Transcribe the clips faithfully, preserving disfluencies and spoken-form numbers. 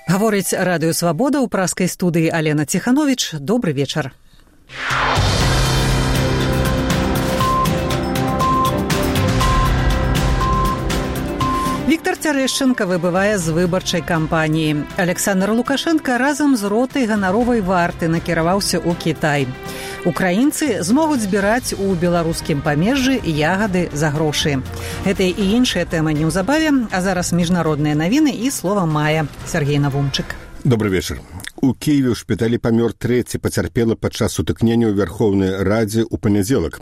Гаворыць радыё «Свабода» ў праскай студыі Алена Ціхановіч. Добры вечар. Віктор Цярэшчанка выбывае з выбарчай кампаніі. Александр Лукашенко разам з ротай ганаровай варты накіраваўся ў Кітай. Украінцы змогуць збіраць у беларускім памежжы ягады за грошы. Гэта і іншыя тэмы неўзабаве, а зараз міжнародныя навіны і слова мая. Сергей Навумчык. Добрый вечер. У Киеве ў шпіталі памёр трэці пацярпелы падчас сутыкнення ў Верховнай Радзе ў панядзелак.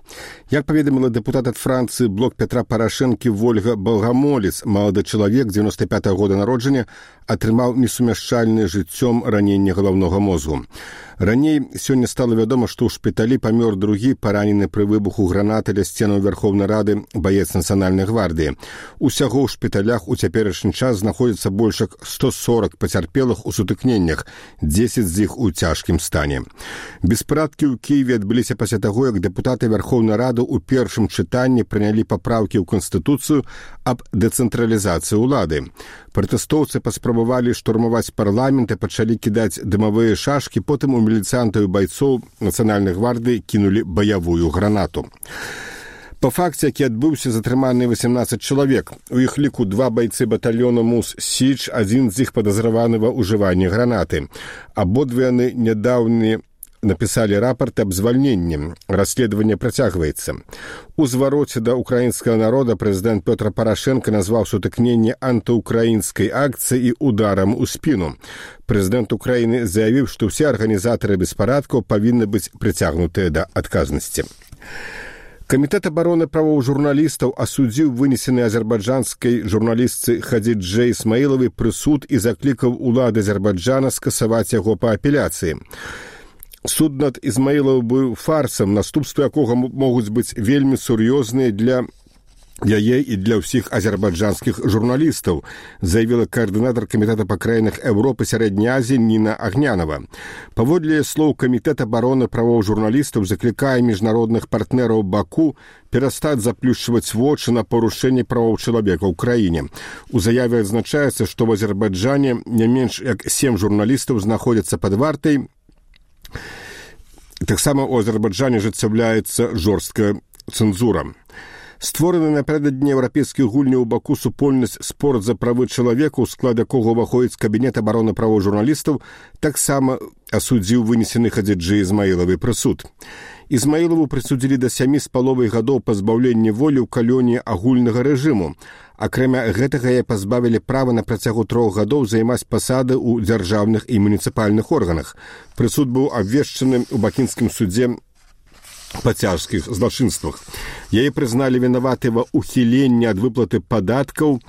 Як паведаміла дэпутат ад Францыі блок Петра Парашэнкі Вольга Балгамолец, малады чалавек дзевяноста пятага года народжання, атрымаў несумяшчальнае жыццём раненне галаўнога мозгу. Раней сёння стала вядома, што ў шпіталі памёр другі паранены пры выбуху гранаты ля сценаў Верховнай Рады баец Нацыянальнай гвардыі. Усяго ў шпіталях у цяперашні час знаходзіцца больш як сто сорок пацярпелых у сутыкненнях, дзесяць з іх у цяжкім стане. Беспарадкі ў Кіеве адбыліся пасля таго, як дэпутаты Верховнай Рады ў першым чытанні прынялі папраўкі ў Канстытуцыю аб дэцэнтралізацыі ўлады. Пратэстоўцы паспрабавалі штурмаваць парламент і пачалі кідаць дымавыя шашкі, потым у міліцыянтаў і байцоў Нацыянальнай гвардыі кінулі баявую гранату. Па факце, які адбыўся, затрыманы васемнаццаць чалавек. У іх ліку два байцы батальёна Мус-Січ, адзін з іх падазраваны ва ўжыванні гранаты. Абодва яны нядаўна напісалі рапарт аб звальненні. Расследаванне працягваецца. У звароце да украінскага народа прэзідэнт Пётр Парашэнка назваў сутыкненне антыукраінскай акцыяй і ударам у спіну. Прэзідэнт Украіны заявіў, што ўсе арганізатары беспарадкаў павінны быць прыцягнутыя да адказнасці. Камітэт абароны правоў журналістаў асудзіў вынесены азербайджанскай журналістцы Хадзіджэ Ісмаілавай прысуд і заклікаў улады Азербайджана скасаваць яго па апеляцыі. Суд над Ізмаілавай быў фарсам, наступствы якога могуць быць вельмі сур'ёзныя для яе і для ўсіх азербайджанскіх журналістаў, заявіла каардынатар камітэта па краінах Еўропы Сярэдняй Азіі Ніна Агнянова. Паводле слоў камітэт абароны правоў журналістаў заклікае міжнародных партнераў Баку перастаць заплюшчваць вочы на парушэнне правоў чалавека ў краіне. У заяве адзначаецца, што ў Азербайджане не менш як сем журналістаў знаходзяцца пад вартай. Таксама ў Азербайджане ажыццяўляецца жорсткая цэнзура. Створаны напярэдадні еўрапейскіх гульняў у Баку супольнасць «Спорт за правы чалавека», у склад якога ўваходзіць кабінет абароны правоў журналістаў, таксама асудзіў вынесены Хадзіджэ Ісмаілавай прысуд. Ізмаілаву прысудзілі да сямі з паловай гадоў пазбаўлення волі ў калоніі агульнага рэжыму. Акрамя гэтага яе пазбавілі права на працягу трох гадоў займаць пасады ў дзяржаўных і муніцыпальных органах. Прысуд быў абвешчаны ў бакінскім судзе па цяжкіх злачынствах. Яе прызналі вінаватай ва ўхіленні ад выплаты падаткаў,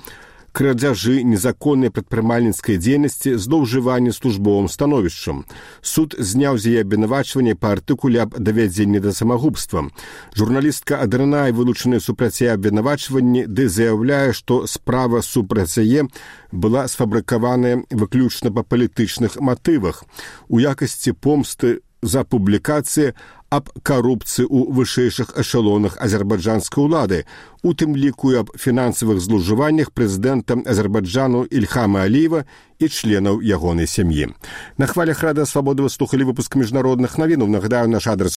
крадзяжы незаконнай прадпрымальніцкай дзейнасці, злоўжыванні службовым становішчам. Суд зняў з яе абвінавачванне па артыкуле аб давядзенні да самагубства. Журналістка адрынае вылучаныя супраць яе абвінавачванні, ды заяўляе, што справа супраць яе была сфабрыкаваная выключна па палітычных матывах у якасці помсты за публікацыі аб карупцыі ў вышэйшых эшалонах азербайджанскай улады, у тым ліку аб фінансавых злоўжываннях прэзідэнта Азербайджану Ільхама Аліева і членаў ягонай сям'і. На хвалях радыё «Свабода» вы слухалі выпуск міжнародных навінаў. Нагадаю, наш адрес